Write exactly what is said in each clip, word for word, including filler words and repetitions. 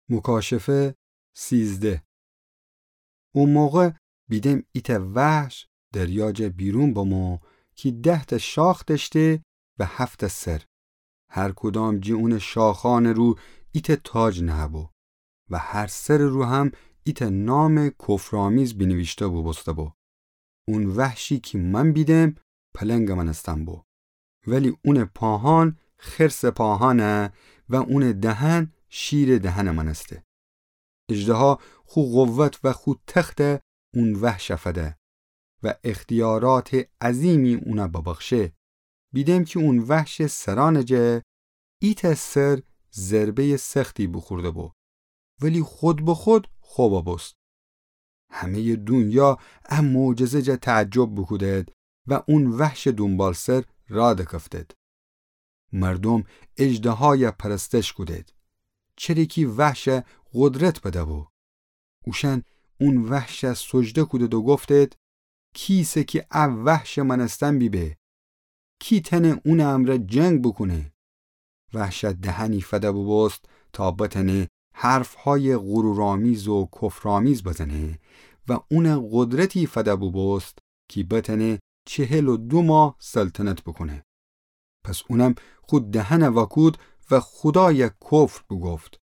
مکاشفه سیزده. او موقع بیدم ایتأ وحش دریا جا بیرون بمو کی ده‌تأ شاخ دأشته و هفت‌تأ سر. هر کدام جی اونٚ شاخأنٚ رو ایتأ تاج نهه‌بو و هر سرٚ رو هم ایتأ نامٚ کفرآمیز بینیویشته بوبوسته‌بو. اون وحشی کی من بیدم پلنگٚ مأنستن بو، ولی اونٚ پاهأن خرسٚ پاهأنه و اونٚ دهن شیرٚ دهنٚ مأنسته. اژدها خو قوت و خو تخته اون وحش فده و اختیاراتٚ عظیمی اونه ببخشه. بیدم کی اون وحشٚ سرأنٚ جا ایتأ سر ضربه‌یٚ سختی بوخورده‌بو، ولی خود به خود خو ببوست. همه‌یٚ دونیا ا معجزه جا تعجب بوکودد و اون وحشٚ دونبالسر راه دکفتد. مردوم اژدهایه پرستش کودد، چره کی وحشه قدرت بده‌بو. اوشأن اون وحشه سجده کودد و گفتد: کی ایسه کی ا وحشٚ مأنستن بیبه؟ کی تأنه اونٚ امرأ جنگ بوکونه؟ وحشه دهنی فده بوبوست تا بتأنه حرفهایٚ غرورآمیز و کفرآمیز بزنه و اونه قدرتی فده بوبوست کی بتأنه چهل و دو ماه سلطنت بوکونه. پس اونم خو دهنه وأکود و خودایه کفر بوگفت.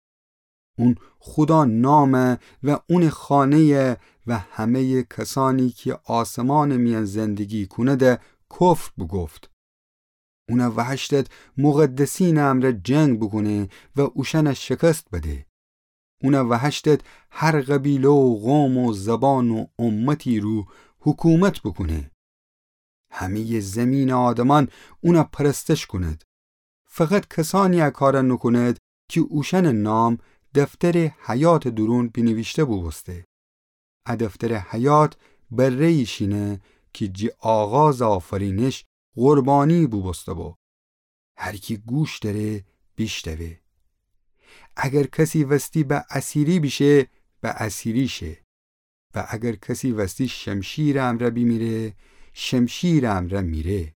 اون خودا نامه و اونٚ خانه‌یه و همه‌یٚ کسأنی کی آسمانٚ میأن زندگی کونده کفر بوگفت. اونه وهشتد مقدسینٚ امرأ جنگ بوکونه و اوشأنه شکست بده. اونه وهشتد هر قبیله و قوم و زبان و امتی رو حکومت بوکونه. همه‌یٚ زیمینٚ آدمأن اونه پرستش کونید. فقط کسأنی ا کاره نوکونید کی اوشأنٚ نام دفترٚ حیاتٚ دورون بینیویشته بوبوسته. ا دفترٚ حیات بره‌یی شینه کی جی آغازٚ آفرینش قربانی بوبوسته‌بو. هر کی گوش دأره بیشنوه. اگر کسی وستی به اسیری بیشه، به اسیری شه. و اگر کسی وستی شمشیرٚ امرأ بیمیره، شمشیرٚ امرأ میره.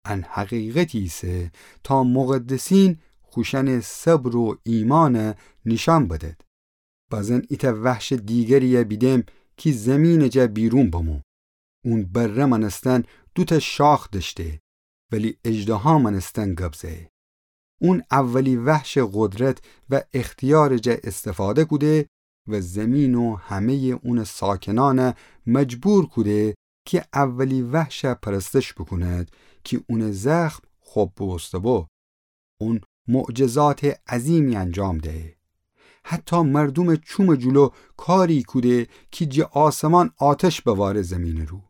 ان حقیقتی ایسه تا مقدسین خوشأنٚ صبر و ایمأنه نیشأن بدید. بازین ایتأ وحشٚ دیگریه بیدم کی زیمینٚ جا بیرون بمو. اون بره مأنستن دوتأ شاخ دأشته، ولی اژدها مأنستن گب زه. اون اولی وحشٚ قدرت و اختیارٚ جا استفاده کوده و زیمین و همه‌یٚ اونٚ ساکنأنه مجبور کوده کی اولی وحشه پرستش بوکونید کی اونٚ زخم خب بوبوسته‌بو. اون معجزاتٚ عظیمی انجام دهه. حتی مردومٚ چومٚ جلو کاری کوده کی جٚه آسمان آتش بواره زیمینٚ رو.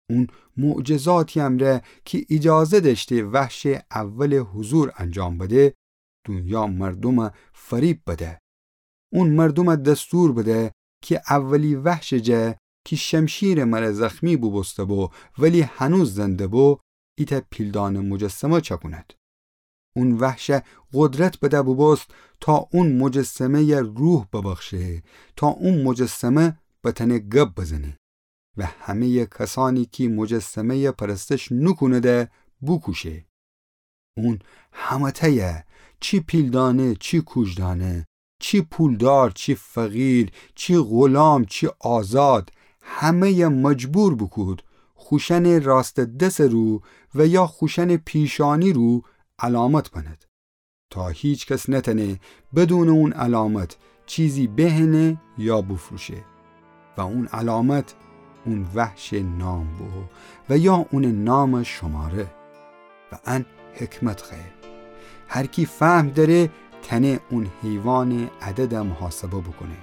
اون معجزاتی امرأ کی ایجازه دأشته وحشٚ اولٚ حضور انجام بده، دونیا مردومه فریب بده. اون مردومه دستور بده کی اولی وحشٚ جا کی شمشیرٚ مره زخمی بوبوسته‌بو ولی هنوز زنده بو، ایتأ پیلدانه مجسمه چأکونید. اون وحشه قدرت بده بوبوست تا اون مجسمه‌یه روح ببخشه، تا اون مجسمه بتأنه گب بزنه و همه‌یٚ کسأنی کی مجسمه‌یه پرستش نوکونده بوکوشه. اون همه‌تأیه، چی پیلدانه، چی کوژدانه، چی پولدار، چی فقیر، چی غلام، چی آزاد، همه‌یه مجبور بوکود خوشأنٚ راستٚ دسٚ رو و یا خوشأنٚ پیشأنی رو علامت بنید، تا هیکس نتأنه بدونٚ اون علامت چیزی بهنه یا بوفروشه. و اون علامت اون وحشٚ نام بو و یا اونٚ نامٚ شماره. و ان حکمت خوأیه. هر کی فهم دأره تأنه اون حیوانٚ عدده محاسبه بوکونه،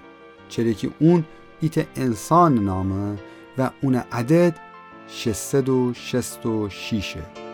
چره کی اون ایتأ انسانٚ نامه و اونٚ عدد ششصد و شصت و شیشه.